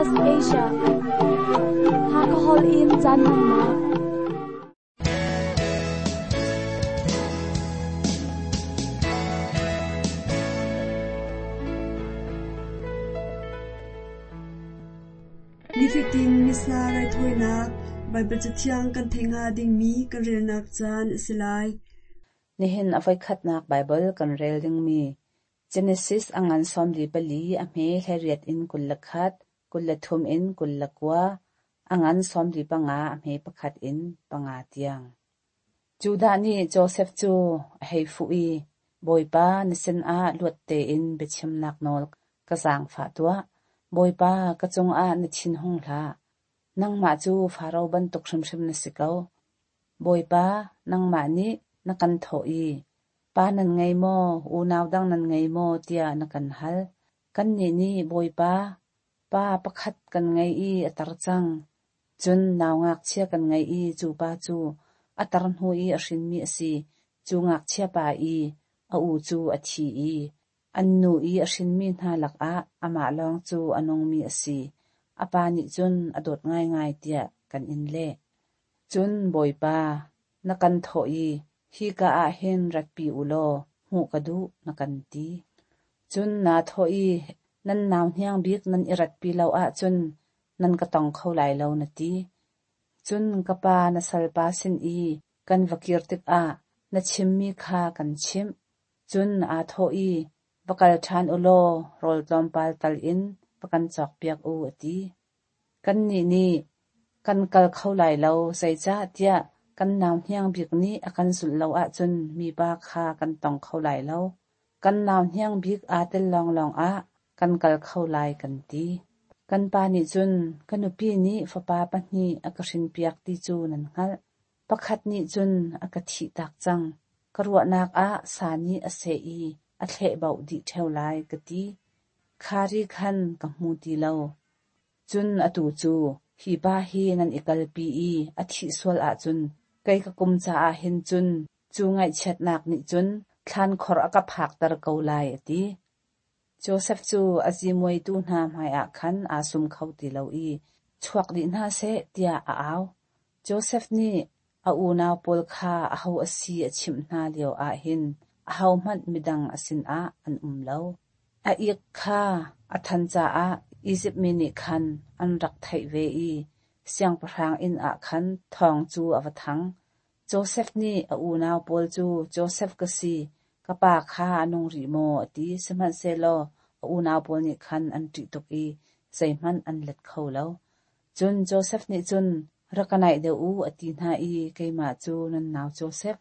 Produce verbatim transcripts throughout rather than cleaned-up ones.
Plus Asia. Hakahol in caan hmannak. Nifatin Missa raithawinak Baibal Cathiang kan theih hnga dingmi kan relnak caan a si lai. Nihin a voikhatnak Baibal kan rel dingmi Genesis a ngan sawmli pali a hme hleiriat in kul le khat, kul le thum in kul le kua, a ngan sawmli panga a hme pakhat in panga tiang. Judah nih Josef cu a hei fuh i, Bawipa na sinah luat tein biachimnak nawl ka zaangfah tuah. Bawipa ka cungah na thin hung hlah. Nangmah cu Faro bantuk hrimhrim na si ko. Bawipa, nangmah nih na kan thawh i, pa nan ngei maw, unau dang nan ngei maw tiah na kan hal. Kannih nih Bawipa, pa pakhat kan ngei i a tar cang. Cun nau ngakchia kan ngei i cu pa cu a tar hnu i a hrinmi a si. Cu ngakchia pa i a u cu a thi i an nu i a hrinmi hna lakah amah lawng cu a nungmi a si. A pa nih cun a dawt ngaingai tiah kan in leh. Cun Bawipa, na kan thawh i hika ah hin ratpi u law hmuh ka duh na kan ti. Cun naa thawh i nan nau hniang bik nan i ratpi lo ahcun nan ka tong kho lai lo na ti. Cun ka pa na salpa sin i kan va kir tikah na chimmi kha kan chimh. Cun aa thawh i va kal ṭhan u law rawl tlawmpal tal in va kan cawkpiak u a ti. Kannih nih kan kal kho lai lo, zeicahtiah kan nau hniang bik nih a kan zulh lo ahcun mipa kha kan tong kho lai lo. Kan nau hniang bik aa tel lawnglawng ah kan kal kho lai kan ti. Kan pa nih cun ka nupi nih fapa pahnih a ka hrinpiak ti cu nan hngalh. Pakhat nih cun a ka thihtak cang. Ka ruahnak ah sa nih a seh i a thlehbauh dih ṭheo lai ka ti. Khari khan ka hmu ti lo. Cun atu cu hi pa hi nan i kalpi i a thih sual ahcun kei ka kum caah hin cun cu ngaihchiatnak nih cun thlankhor a ka phakter ko lai a ti. Josef cu a zimuaitu hna hmaiah khan aa sum kho ti lo i chuak dih hna seh tiah a au. Josef nih a unau pawl kha aho a si a chimh hna lio ah hin ahohmanh midang a sinah an um lo. A ik kha a than caah Izipt mi nih khan an rak theih ve i siangpahrang inn ah khan thawng cu a va thang. Josef nih a unau pawl cu Josef ka si, ka pa kha a nung rih maw a ti. Sihmanhsehlaw a unau pawl nih khan an ṭih tuk i zeihmanh an let kho lo. Cun Josef nih cun rak ka naih deuh u a ti hna i keimah cu nan nau Josef,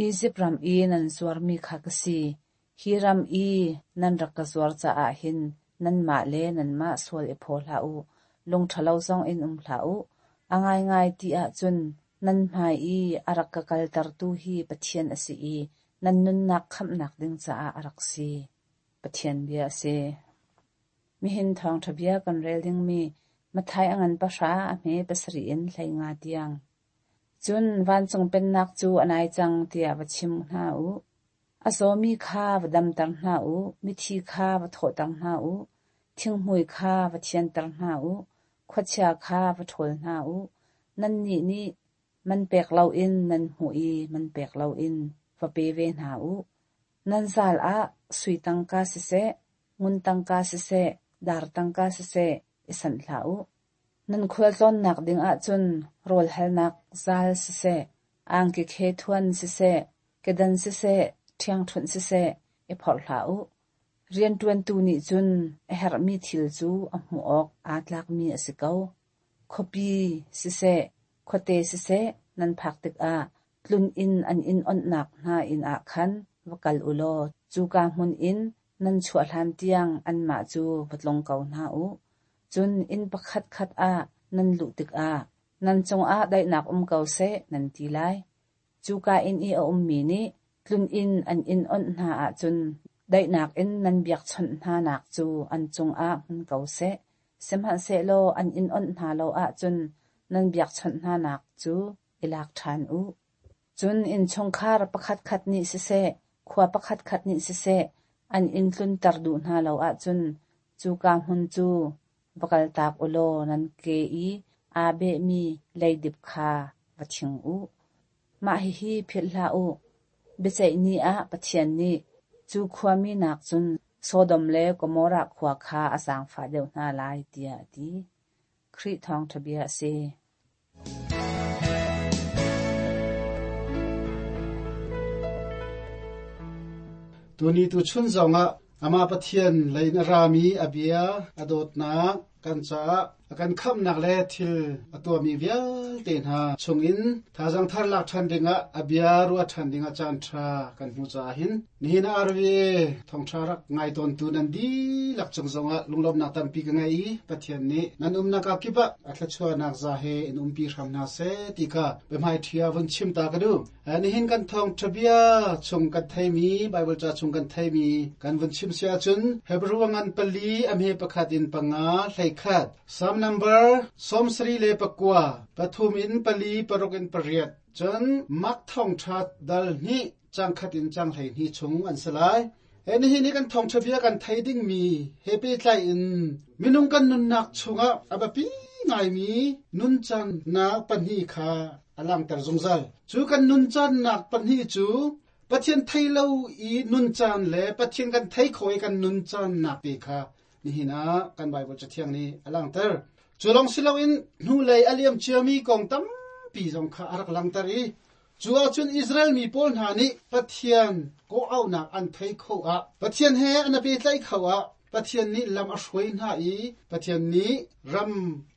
Izipt ram i nan zuarmi kha ka si. Hi ram i nan rak ka zuar caah hin nanmah le nanmah sual i phaw hlah u, lung ṭhalo zong in um hlah u. A ngaingai ti ahcun nan hmai i a rak ka kaltertu hi Pathian a si i nan nunnak khamhnak ding caah a rak si. Pathian bia a si. Mihin thawngṭha bia kan rel dingmi Matthai a ngan pahra a hme pasarih in hlei nga tiang. Cun vancung pennak cu a nai cang tiah va chim hna u. A zawmi kha va damter hna u, mithi kha va thawhter hna u, thinghmui kha va thianter hna u, khuachia kha va ṭhawl hna u. Nannih nih man pek loin nan hmuh i man pek loin va pe ve hna u. Nan zal ah sui tangka siseh, ngun tangka siseh, dar tangka siseh i sanh hlah u. Nan khualtlawnnak ding ahcun rawl halnak zal siseh, angki khe thuan siseh, kedan siseh, ṭhiangṭhunh siseh i phorh hlah u. Rianṭuantu nih cun a herhmi thil cu a hmuh awk aa tlakmi a si ko. Khuapi siseh, khuate siseh nan phak tikah tlun inn an in onhnak hna inn ah khan va kal u law cuka hmun in nan chuah hlan tiang anmah cu va tlung ko hna u. Cun inn pakhat khat ah nan luh tikah nan cungah daihnak um ko seh nan ti lai. Cuka inn i a ummi nih tlun inn an in onh hna ahcun daihnak in nan biakchawnh hna nak cu an cungah hmun ko seh. Sihmanhsehlaw an in onh hna lo ahcun nan biakchawnh hna nak cu i lak ṭhan u. Cun innchungkhar pakhatkhat nih siseh, khua pakhatkhat nih siseh, an in tlunter duh hna lo ahcun cuka hmun cu Va kaltak u law nan ke i aa behmi leidip kha va thing u. Mah hihi philh hlah u. Biaceih ni ah Pathian nih cu khuami nakcun Sodom le Gomorrah khua kha a zaangfah deuh hna lai, tiah a ti. Khrih thawngṭha bia a si. Tuni tu chun zongah ama Pathian lein a rami a bia a dawtnak kan caah a kan khamnak le thil a tuahmi vialte hna chungin thazaang thar lak ṭhan dingah a bia ruah ṭhan dingah caan ṭha kan hmu caah hin nihin R V A thawngṭha rak ngai tawntu nan dihlak cung zongah lunglawmhnak tampi ka ngei i Pathian nih nan umnak ah kip ah a thluachuahnak za he in umpi hram hna seh ti kha biahmai ṭhia vun chim ta ka duh. Nihin kan thawngṭha bia chung kan theimi Bible ca chung kan theimi kan vun chim si ahcun Hebrew ngan pali a hme pakhat in panga hlei khat Psalm number sawm sarih le pakua pathum in pali paruk in pariat cun Mark thawngṭha dal hnih cang khat in cang hlei hnih chung an si lai. E nihin ni kan thawngṭha bia kan thei dingmi he pehtlai in minung kan nunnak chungah a biapi ngaimi nuncannak pahnih kha a langhter zungzal. Cu kan nuncannak pahnih cu Pathian thei lo i nuncan le Pathian kan thei kho i kan nuncannak te kha nihin ah kan Bible cathiang nih a langhter. Cu lawng si loin hnulei a liam ciami kong tampi zong kha a rak langhter i cu ahcun Israel mi pawl hna nih Pathian kawhauhnak an thei kho ah Pathian he an i pehtlaih kho ah Pathian nih lam a hruai hna i Pathian nih ram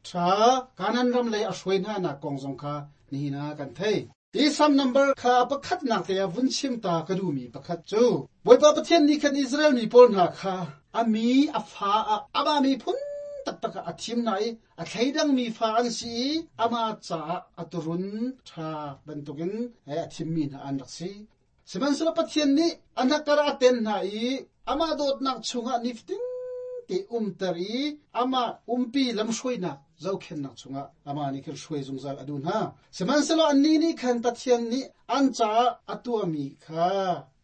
ṭha Kanaan ram lei a hruai hna nak kong zong kha nihin ah kan thei. Hi Psalm number kha pakhatnak te ah vun chim ta ka duhmi pakhat cu Bawipa Pathian nih khan Israel mi pawl hna kha a mi a fa ah amah miphun taktak ah a thim hna i a thleidangmi fa an si i amah caah a turun ṭha bantukin a thimmi hna an rak si. Sihmanhsehlaw Pathian nih a hnakar a ten hna i amah dawtnak chungah nifatin te umter i amah umpi lamhruainak zohkhenhnak chungah amah nih khan hruai zungzal a duh hna. Sihmanhsehlaw annih nih khan Pathian nih an caah a tuahmi kha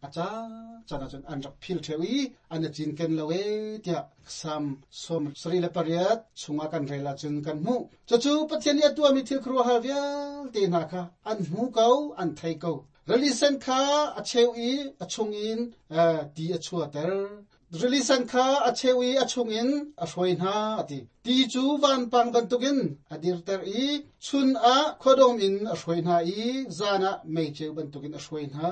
a caan caan ahcun an rak phil ṭheo i an i cinken lo ee tiah Psalm sawm sarih le pariat chungah kan rel ahcun kan hmuh. Cucu Pathian nih a tuahmi thil khuaruahhar vialte hna kha an hmu ko, an thei ko. Rili sen kha a cheu i a chungin ti a chuahter. Rili sen kha a cheu i a chungin a hruai hna a ti. Ti cu vanpang bantukin a dirter i chun ah khuadawm in a hruai hna i zan ah meiceu bantukin a hruai hna.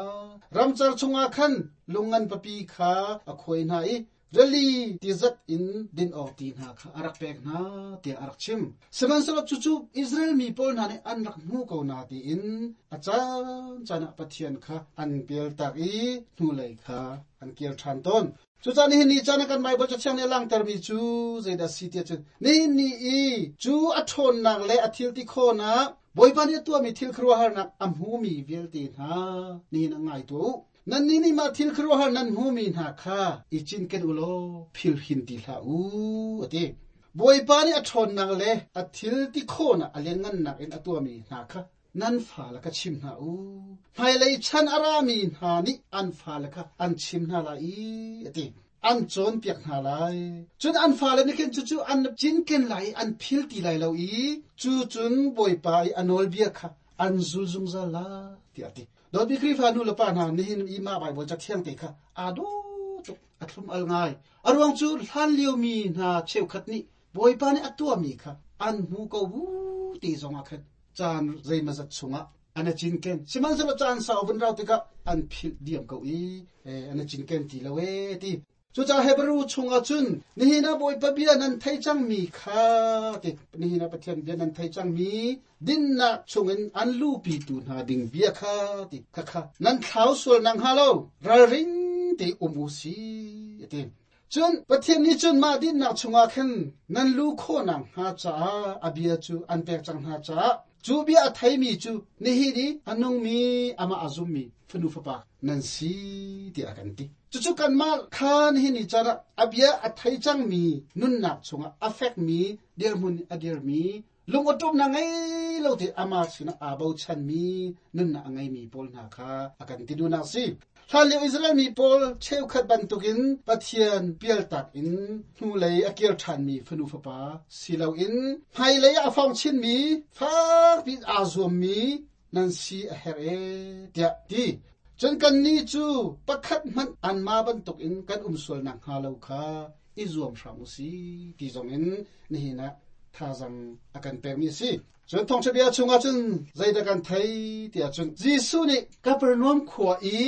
Ramcar chungah khan lungngan papi kha a khuai hna i rili tizat in din awk ti hna kha a rak pek hna tiah a rak chim. Sihmanhsehlaw cucu Israel mi pawl hna nih an rak hmu ko na tiin a caan caan ah Pathian kha an pialtak i hnulei kha an kir ṭhan tawn. Cucaah nihin ni caan ah kan Bible cathiang nih a langhtermi cu zeidah si tiah cun nihin ni i cu a ṭhawnnak le a thil ti khawhnak Bawipa nih a tuahmi thil khuaruahharnak a hmumi vialte hna nihin ah ngai tuah u. Nannih nih mah thil khuaruahhar nan hmumi hna kha i cinken u law phil hin ti hlah u a ti. Bawipa nih a ṭhawnnak le a thil ti khawhnak a lianngannak in a tuahmi hna kha nan fale kha chim hna u. Hmailei chan a rami hna nih an fale kha an chim hna lai i a ti. An cawnpiak hna lai. Cun an fale nih khin cucu an cinken lai i an phil ti lai lo i cu cun Bawipa i a nawlbia kha an zul zungzal lai tiah a ti. Dawtmi Khrihfa nu le pa hna nihin i mah Bible cathiang te kha aa dawh tuk a thlum al ngai. A ruang cu hlan liomi hna cheukhat nih Bawipa nih a tuahmi kha an hmu ko bu ti zongah khan caan zeimazat chungah an i cinken. Sihmanhsehlaw caan sau vun rau tikah an philh diam ko i an i cinken ti lo ee ti. Cucaah Hebrew chungah cun nihin ah Bawipa bia nan thei cangmi kha ti nihin ah Pathian bia nan thei cangmi dinnak chungin an luhpitu hna ding bia kha ti kha kha nan thlau sual nak hnga lo ralring te um u si ti. Cun Pathian nih cun mah dinnak chungah khan nan lu khawhnak hnga caah a bia cu an pek cang hna caah cu bia a theimi cu nihin i a nungmi amah a zummi fanu fapa nan si tiah a kan ti. Cucu kanmah kha nihin ni caan ah a bia a thei cangmi nunnak chungah a fekmi dirhmun a dirmi lungawṭawmnak ngei lo te amah sinah aa bochanmi nunnak a ngeimi pawl hna kha a kan ti duhnak si. Hlan lio Israel mi pawl cheukhat bantukin Pathian pialtak in hnulei a kir ṭhanmi fanu fapa si loin hmailei ah a fong chinmi fakpi aa zuammi nan si a herh e tiah ti. Cun kannih cu pakhat hmanh anmah bantukin kan um sual nakhnga lo kha i zuam hram u si ti zongin nihin ah thazang a kan pekmi a si. Cun thawngṭha bia chungah cun zeidah kan thei tiah cun Jesuh nih Kapernaum khua i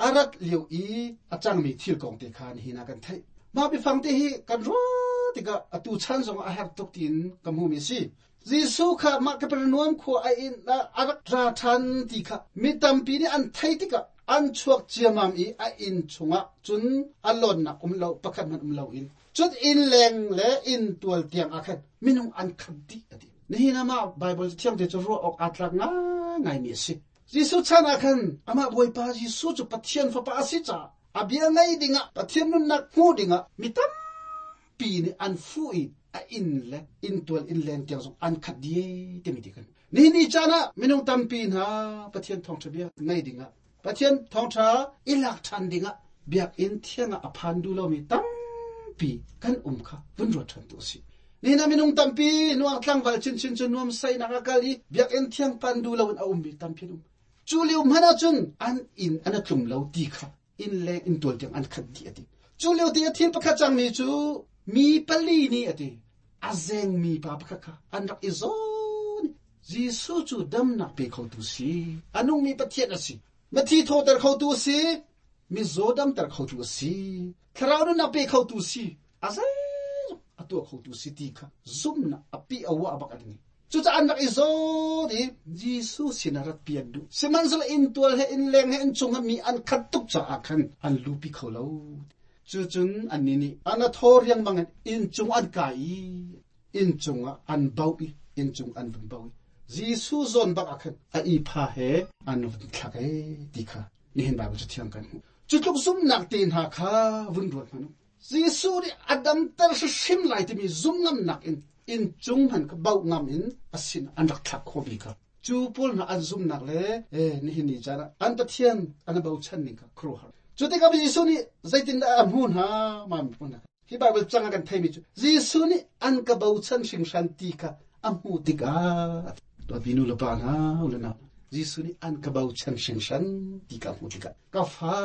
a rat lio i a cangmi thil kong te kha nihin ah kan theih. Mah biafang te hi kan ruah tikah atu chan zongah a herh tuk tiin ka hmuhmi a si. Jesuh kha mah Kapernaum khua a inn ah a rak ra ṭhan ti kha mi tampi nih an theih tikah an chuak ciammam i a inn chungah cun a lawnnak um lo pakhat hmanh um loin cun inn leng le inn tual tiang ah khan minung an khat dih a ti. Nihin ah mah Baibal thiang te cu ruah awk aa tlak ngaingaimi a si. Jesuh chan ah khan amah Bawipa Jesuh cu Pathian Fapa a si caah a bia ngaih dingah Pathian nunnak hmuh dingah mi tampi nih an fuh i a inn le inn tual inn leng tiang zong an khat dih timi ti kan. Nihin ni caan ah minung tampi hna Pathian thawngṭha bia ngaih dingah Pathian thawngṭha i lak ṭhan dingah biakinn thiang ah a phan duh lomi tampi kan um kha vun ruat ṭhan tu a si. Nihin ah minung tampi nuang tlangval chinchin cu nuam sainak a kal i biakinn thiang pan duh loin a ummi tampi an um. Cu lio hmanh ahcun an inn an a tlum lo ti kha inn leng inn tual tiang an khat dih a ti. Cu lio ti a thil pakhat cangmi cu mi pali nih a ti. A zengmi pa pakhat kha an rak i zawn. Jesuh cu damnak pe khotu si. A nungmi Pathian a si. Mithi thawhter khotu a si. Mizaw damter khotu a si. Thlarau nunnak pe khotu si. A zeizong a tuah khotu si ti kha zumnak a pi a wa bak an ngei. Cucaah an rak i zawn i Jesuh sinah rat pi an duh. Sihmanhsehlaw inn tual he inn leng he inn chung ah mi an khat tuk caah khan an lupi kho lo. Cucun annih nih an a thaw riangmang in inn cung an kai i inn cungah an bauh i inn cung an vun bauh i Jesuh zawn bak ah khan a ipha he an vun thlak e ti kha nihin Baibal cu thiang kan hmuh. Cu tluk zumhnak te hna kha vun ruat hmanh u. Jesuh nih a damter hrimhrim lai timi zum ngamnak in inn cung hman kha bauh ngam in a sin an rak thlak khawhmi kha. Cu pawl hna an zumnak le eh, nihin ni caan ah an Pathian an bochan ning kha khuaruahhar. Cu tikah Jesuh nih zeitindah a hmuh hna ma mi hna. Hi Baibal cang ah kan theimi cu Jesuh nih an ka bochan hringhran ti kha a hmuh tikah tuahpi nu le pa hna u le nau Jesuh nih an ka bochan hringhran ti kha a hmuh tikah ka fa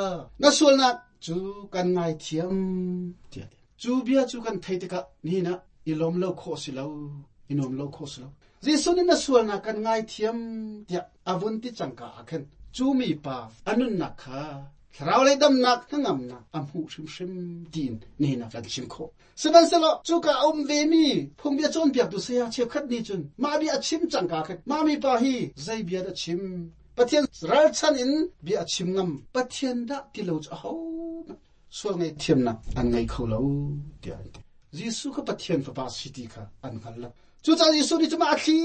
na sualnak cu kan ngaithiam tiah cu bia cu kan thei tikah nihin ah i lawm lo khawh si lo i nuam lo khawh si lo. Jesuh nih na sualnak kan ngaithiam tiah a vun ti cangka ah khan cu mi pa a nunnak kha thlarau lei damnak hnangamnak a hmuh hrimhrim tiin nihin ah kan chim khawh. Sihmanhsehlaw cuka a um vemi phungbia cawnpiaktu saya cheukhat nih cun mah bia a chim cangka khan mah mi pa hi zei bia dah chim Pathian ralchan in bia a chim ngam Pathian dah ti lo cu ahohmanh sual ngaihthiamnak an ngei kho lo tiah an ti. Jesuh kha Pathian Fapa si ti kha an hngal lo. Cucaah Jesuh nih cu mah a thli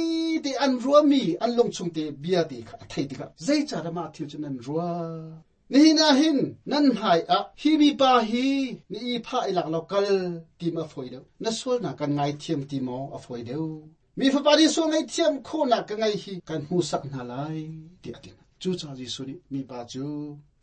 te an ruahmi an lungchung te bia te kha a theih tikah zeicahdah mah thil cu nan ruah? Nihin ah hin nan hmai ah hi mipa hi na i phah i lak lo kal ti ma a fawi deuh? Na sualnak kan ngaithiam ti maw a fawi deuh? Mi Fapa nih sual ngaihthiam khawhnak ka ngei hi kan hmuhsak hna lai tiah a ti hna. Cucaah Jesuh nih mipa cu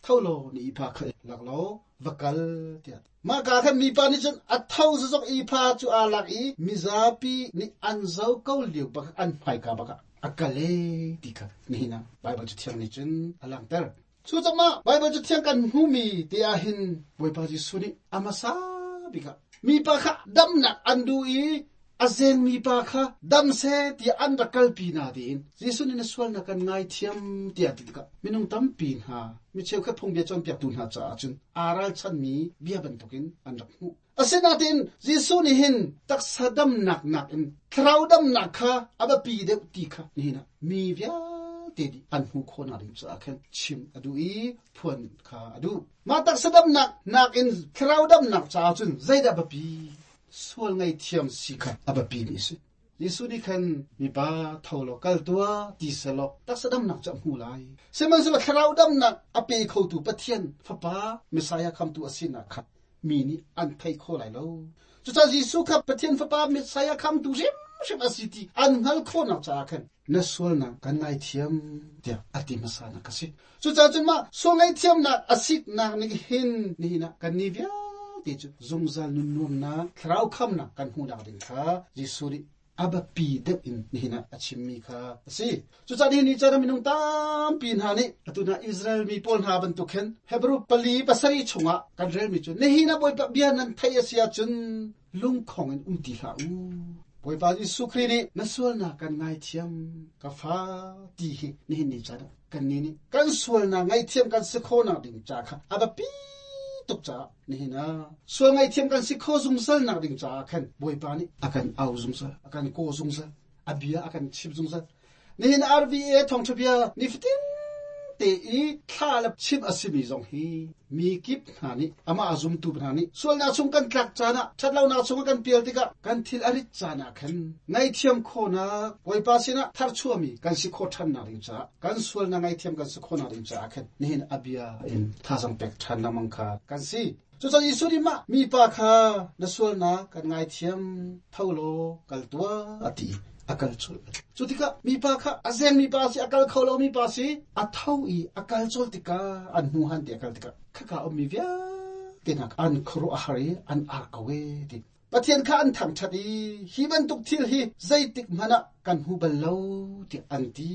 tho law na i pha kha lak law va kal tiah. Mah ka khan mipa nih cun a tho zazok i pha cu aa lak i mizapi nih an zo ko lio bak an hmaika bak ah a kal e ti kha nihin ah Baibal cu thiang nih cun a langhter. Cu cangmah Baibal cu thiang kan hmumi te ah hin Bawipa Jesuh nih a hmasa bik ah mipa kha damnak an duh i a zengmi pa kha dam seh tiah an rak kalpi na tiin Jesuh nih na sualnak kan ngaithiam tiah ti tikah minung tampi hna mi cheukhat phungbia cawnpiaktu hna caah cun aa ralchanmi bia bantukin an rak hmuh. Asinain Jesuh nih hin taksa damnak nakin thlarau damnak kha a biapi deuh ti kha nihin ah mi vialte nih an hmuh khawhnak ding caah khan chim a duh i phuan kha a duh. Mah taksa damnak nakin thlarau damnak caah cun zeidah biapi? Sual ngaihthiam si kha a biapi mi a si. Jesuh nih khan mipa tho law kal tuah ti selaw taksa damnak cu a hmu lai. Sihmanhsehlaw thlarau damnak a pe khotu Pathian Fapa Messiah khamtu a sinak kha mi nih an thei kho lai lo. Cucaah Jesuh kha Pathian Fapa Messiah khamtu hrimhrim hrim asiti an ngal kho nak cha khan na sual na kan ngai thiam tia ati masa na kasi chu cha chun ma so ngai thiam na asik nak ni hin ni na kan ni via ti chu zungzal nun nuam na thrau kham na kan hu nak ding kha Jesu ri aba pi deuh in ni na achim mi kha asi chu cha ni ni cha minung tam pin ha ni atuna Israel mi pol ha ban tu khen Hebrew pali pasari chunga kan rel mi chu ni na boi pa bia nan thai asia chun lung khong in umti hla u boi pa Jesu Khri ni na sual na kan ngai thiam ka fa ti hi ni ni cha kan ni ni kan sual na ngai thiam kan se kho na ding cha kha aba pi tuk cha ni na sual ngai thiam kan si kho zung sal nak ding cha khan boi pa ni akan au zung sal akan ko zung sal abia akan chip zung sal ni na R V A thong thubia ni fitin te i thla la chip asimi zong hi mi kip na ni ama azum tu na ni sual na chung kan tlak cha na thatlo na chung kan pial tika kan thil arit cha na khan ngai thiam kho na boi pa sina thar chuami kan si kho than na ring cha kan sual na ngai thiam kan si kho na ring cha khan ni hin abia in tha jang pek than na mang kha kan si chu cha Jesu ri ma mi pa kha na sual na kan ngai thiam thaulo kal tua ati akal chul chu tika mi pa kha azeng mi pa si akal kholo mi pa si athau i akal chul tika an hu han ti akal tika kha ka om mi via te nak an khro a hari an ar kawe ti pathian kha an thang thati hi ban tuk thil hi zaitik mana kan hu bal lo ti an ti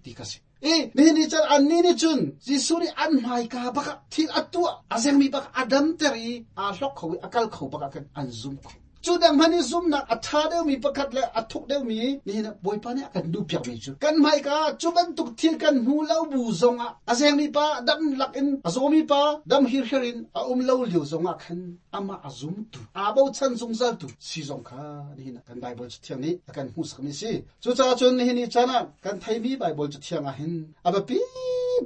ti ka si e ni ni chan an ni ni chun Jesu ni an mai ka baka thil atua azeng mi baka adam teri a hlok kho akal kho baka kan an zum kho chu dang mani zum nak atha deu mi pakhat le athuk deu mi ni na boi pa ne kan du pyak mi chu kan mai ka chu ban tuk thil kan hu lo bu zonga azeng mi pa dam lak in azo mi pa dam hir herin a um lo liu zonga khan ama azum tu abo chan zung zal tu si zong kha ni na kan Bible chu thiang ni akan hu sak mi si chu cha chun ni ni chana kan thai mi Bible chu thiang a hin aba pi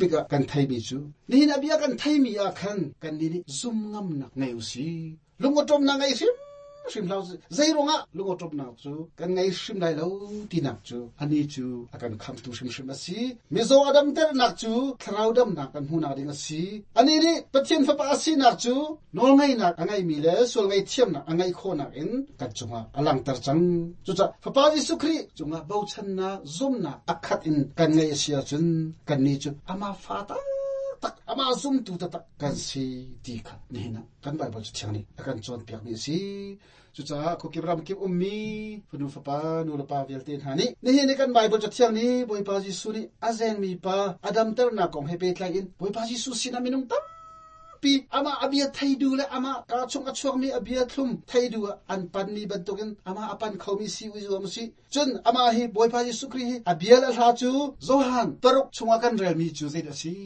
bika kan thai mi chu ni na bia kan thai mi a khan kan ni ni zum ngam nak nei u si lungotom na ngai sim sim lau zai ronga lungo top nak chu kan ngai sim lai lo ti nak chu ani chu akan kham tu sim sim asi mizo adam ter nak chu thrau dam nak kan hu nak ding asi ani ni pathian fa pa asi nak chu nol ngai nak angai mi le sol ngai thiam nak angai kho nak in kan chunga alang tar chang chu cha fa pa Jesu Khri chunga bo chan na zum na akhat in kan ngai asia chun kan ni chu ama fa ta tak ama zum tu ta tak kan si ti kha ni na kan Bible chu thiang ni akan chon piak mi si chu cha ko ki ram ki ummi fanu fa pa nu la pa vel te ha ni ni hi ni kan Bible chu thiang ni boi pa Jesu ni azeng mi pa adam ter na kong he pe tlai in boi pa Jesu sina minung tam pi ama abia thaidu le ama ka chung a chuak mi abia thlum thaidu an pan ni bantukin ama apan khomi si u zuam si chun ama hi boi pa Jesu Khri hi abia la hla chu Johan taruk chunga kan rel mi chu zait asi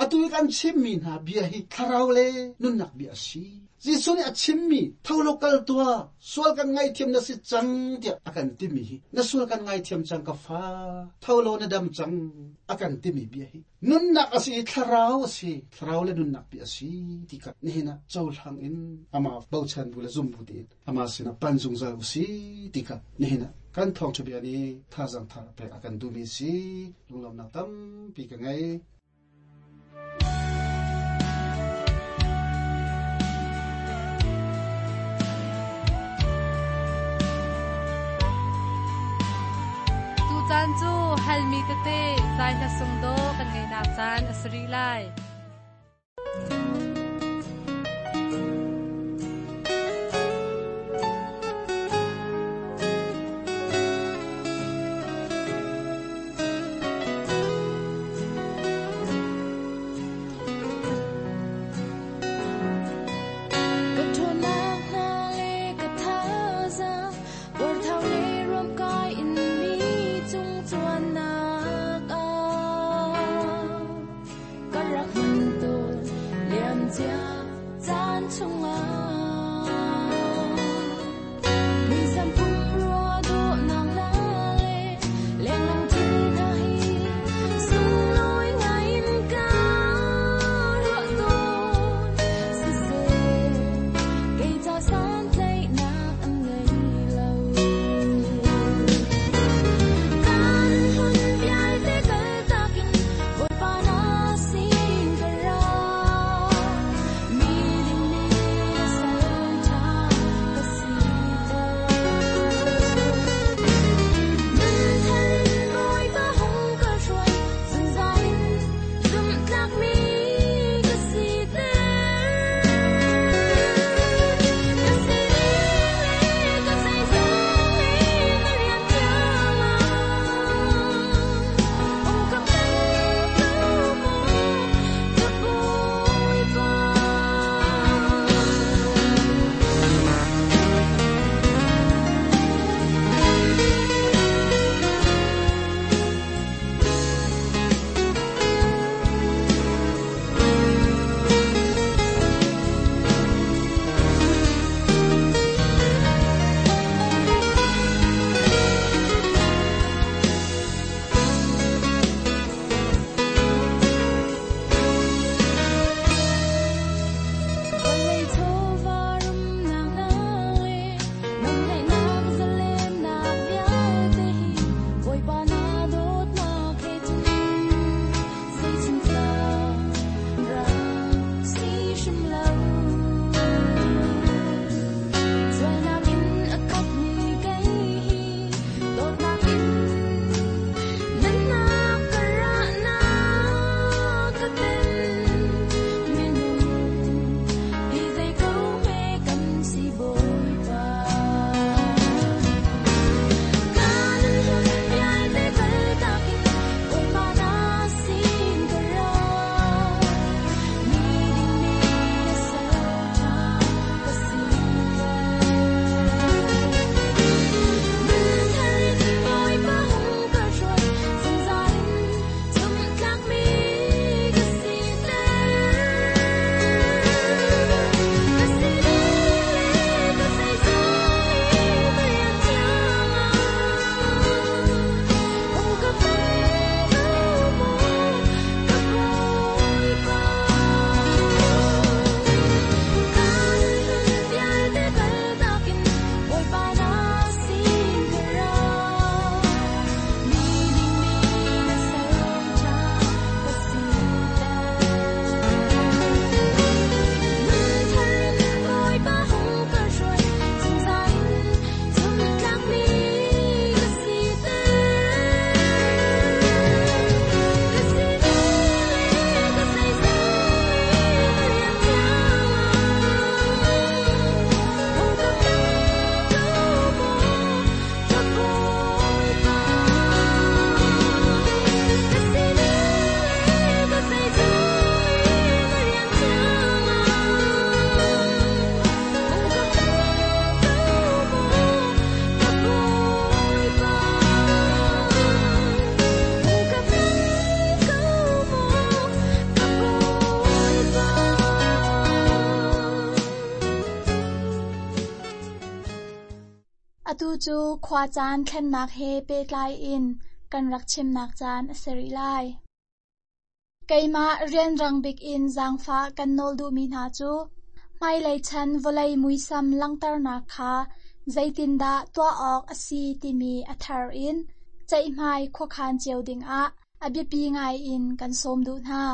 atu kan chim mi na bia hi tharau le nun nak bia si Jesu ni a chim mi tholo kal tua sual kan ngai thiam na si chang tia akan ti mi hi na sual kan ngai thiam chang ka fa tholo na dam chang akan ti mi bia hi nun nak asi tharau asi tharau le nun nak bia si ti ka ni na chau hlang in ama bauchan bu la zum bu ti ama sina pan zung zal si ti ka ni na kan thong chu bia ni tha jang tha pe akan du mi si lunglam nak tam pi ka ngai Chan chu halmi te te zai hla sung do kan ngai nak chan asri lai Chuan nak a ka rak Atu cu khua caan thlennak he pehtlai in kan rak chimnak caan a si rih lai. Keimah rianrang bik in zaangfah kan nawl duhmi hna cu hmailei chan vawlei muisam langhternak kha zeitindah tuah awk a si timi a thar in ceihmai khuakhan cio dingah a biapi ngai in kan sawm duh hna.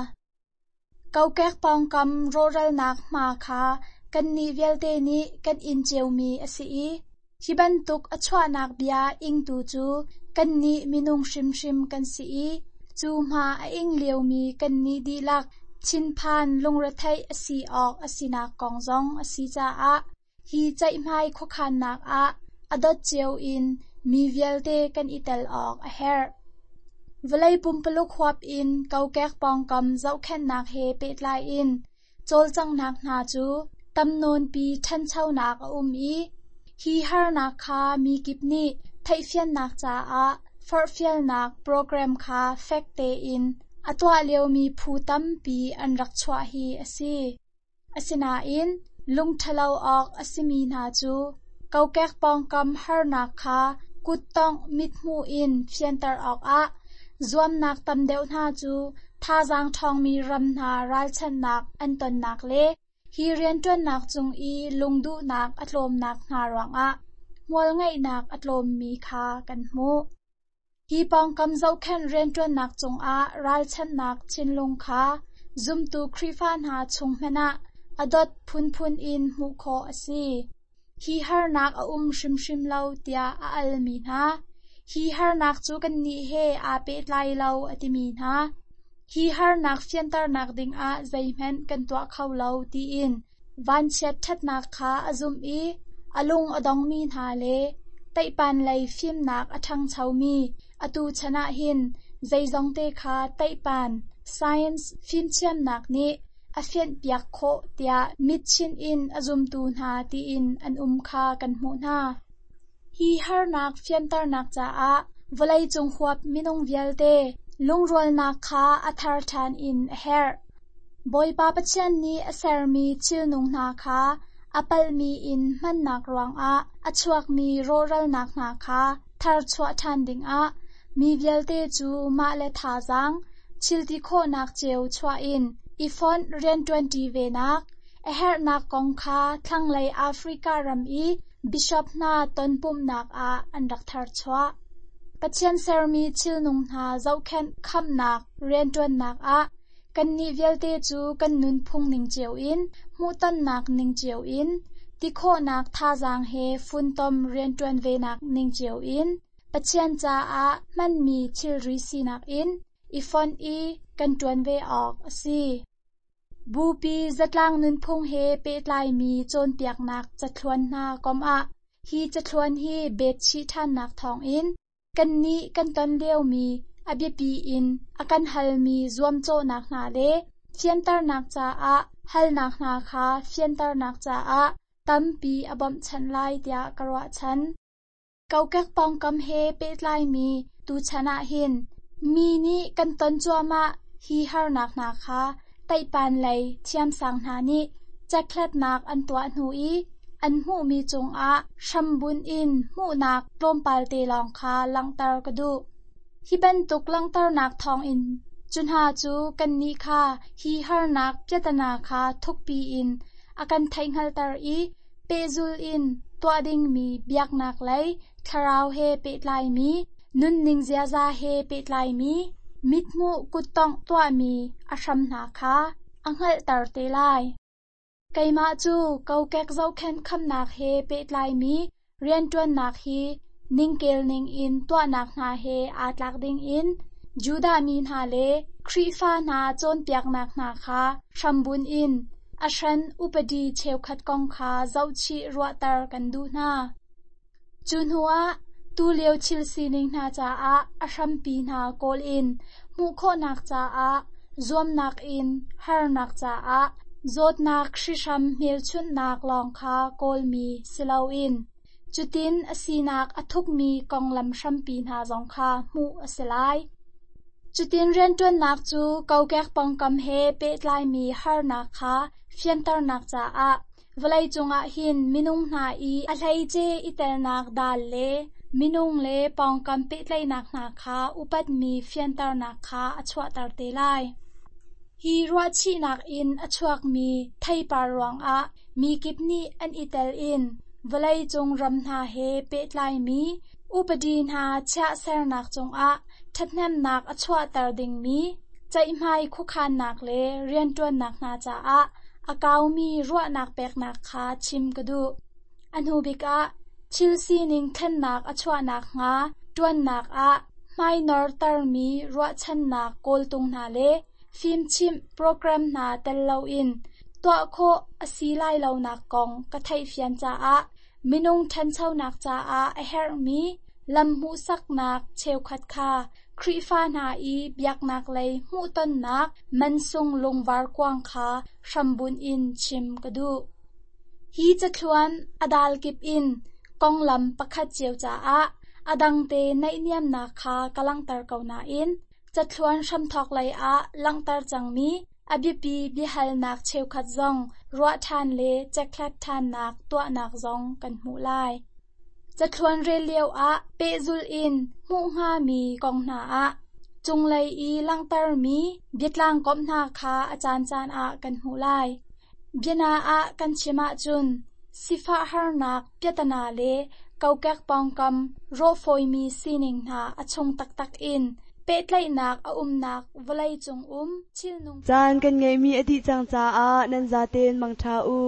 Kokek pawngkam rawhralnak hma kha kannih vialte nih kan in ciomi a si i hi bantuk a chuahnak bia ingtu cu kannih minung hrimhrim kan si i cu hma a ing liomi kannih dihlak thinphan lungretheih a si awk a sinak kong zong a si caah hi ceihmai khuakhannak ah a dot cio in mi vialte kan i tel awk a herh. Vawlei pumpuluk huap in kokek pawngkam zohkhenhnak he pehtlai in cawlcanghnak hna cu tamnawnpi ṭhanchonak a um i hi harnak kha mi kip nih theihfiannak caah forhfialnak program kha fek tein a tuah liomi phu tampi an rak chuah hi a si. Asinain lungṭhalo awk a simi hna cu kokek pawngkam harnak kha kuttongh mithmuh in fianter awkah zuamnak tam deuh hna cu thazaang ṭhawngmi ram hna ralchanhnak an tonnak le hi rianṭuannak cung i lungduhnak a tlawmnak hna ruangah hmualngeihnak a tlawmmi kha kan hmuh. Hi pawngkam zohkhenh rianṭuannak cungah ralchanhnak thinlung kha zumtu Khrihfa hna chung hmanh ah a dot phunphun in hmuh khawh a si. Hi harnak a um hrimhrim lo tiah a almi hna. Hi harnak cu kannih he aa pehtlai lo a timi hna. Hi harnak fianternak dingah zeihmanh kan tuah kho lo tiin vanchiat ṭhatnak kha a zumh i a lung a dongmi hna le teihpan lei fimnak a ṭhangchomi atu chan ah hin zeizong te kha teihpan science fimthiamnak nih a fianhpiak khawh tiah mitchin in a zumtu hna tiin an um kha kan hmuh hna. Hi harnak fianternak caah vawleicung huap minung vialte lungrualnak kha a thar ṭhan in a herh. Bawipa Pathian nih a sermi thilnung hna kha a palhmi in hmannak ruangah a chuakmi rawhralnak hna kha tharchuah ṭhan dingah mi vialte cu mah le thazaang thilti khawhnak cio chuah in i fonh rianṭuanṭi venak a herhnak kong kha thlanglei Africa ram i bishop hna tonpumhnak ah an rak tharchuah. Pathian sermi thilnung hna zohkhenh khamnak rianṭuannak ah kannih vialte cu kan nunphung ning cio in hmuhtonnak ning cio in ti khawhnak thazaang he funtom rianṭuan venak ning cio in Pathian caah hmanmi thilri sinak in i fonh i kan ṭuan ve awk a si. Bupi zatlang nunphung he pehtlaimi cawnpiaknak cathluan hna kom ah hi cathluan hi betchih ṭhannak thawngin kannih kan ton liomi a biapi in a kan halmi zuamcawhnak hna le fianternak caah halnak hna kha fianternak caah tampi a bawmhchanh lai tiah ka ruahchan. Kokek pawngkam he pehtlaimi tuchan ah hin mi nih kan ton cuahmah hi harnak hna kha teihpan lei thiamsang hna nih cekhlatnak an tuah hnu i an hmuhmi cungah hrambunh in hmuhnak tlawmpal te lawng kha langhter ka duh. Hi bantuk langhternak thawngin cu hna cu kannih kha hi harnak piatana kha thukpi in a kan theihhngalhter i pehzul in tuah dingmi biaknak lei thlarau he pehtlaimi nunning ziaza he pehtlaimi mithmuh kuttongh tuahmi a hram hna kha a hngalhter te lai. Keimah cu kokek zohkhenh khamnak he pehtlaimi rianṭuannak hi ningkel ning in tuahnak hna he aa tlak dingin Judah mi hna le Khrihfa hna cawnpiaknak hna kha hrambunh in a hran upadi cheukhat kong kha zohchih ruahter kan duh hna. Cu hnuah tulio thil sining hna caah a hrampi hna kawl in hmuh khawhnak caah zuamnak in harnak caah zawtnak hrihhram hmelchunhnak lawng kha kawlmi si loin cutin a sinak a thukmi konglam hrampi hna zong kha hmuh a si lai. Cutin rianṭuannak cu kokek pawngkam he pehtlaimi harnak kha fianternak caah Vawlei cungah hin minung hna i a hleice i telnak dal le minung le pawngkam pehtlaihnak hna kha upatmi fianternak kha a chuahter te lai. Hi ruahchihnak in a chuakmi theipar ruangah mi kip nih an i tel in vawlei cung ram hna he pehtlaimi upadi hna chiah sernak cungah ṭhathnemnak a chuahter dingmi ceihmai khuakhannak le rianṭuannak hna caah a kaumi ruahnak peknak kha chim ka duh. A hnu bik ah thil sining thlennak a chuahnak hnga ṭuannak ah hmainor termi ruahchannak kawltung hna le fimchimh program hna tel loin tuah khawh a si lai lonak kong ka theihfian caah minung ṭhanchonak caah a herhmi lam hmuhsaknak cheukhat kha Khrihfa hna i biaknak lei hmuhtonnak mansung lungvar kuang kha hrambunh in chim ka duh. Hi cathluan a dal kip in konglam pakhat cio caah a dangte naihniamnak kha ka langhter ko nain cathluan hramthawk lei ah langhter cangmi a biapi biahalnak cheukhat zong ruah ṭhan le cekhlat ṭhannak tuahnak zong kan hmuh lai. Cathluan rel lio ah pehzulh in hmuh hngami kong hna ah cunglei i langhtermi biatlang komh hna kha a caancaan ah kan hmuh lai. Biana ah kan chim ahcun sifah harnak piatana le kokek pawngkam rawhfawimi sining hna a chung taktak in pehtlaihnak a umnak vawlei cung um thilnung Caan kan ngeihmi a dih cang caah nan zaten mangṭha u.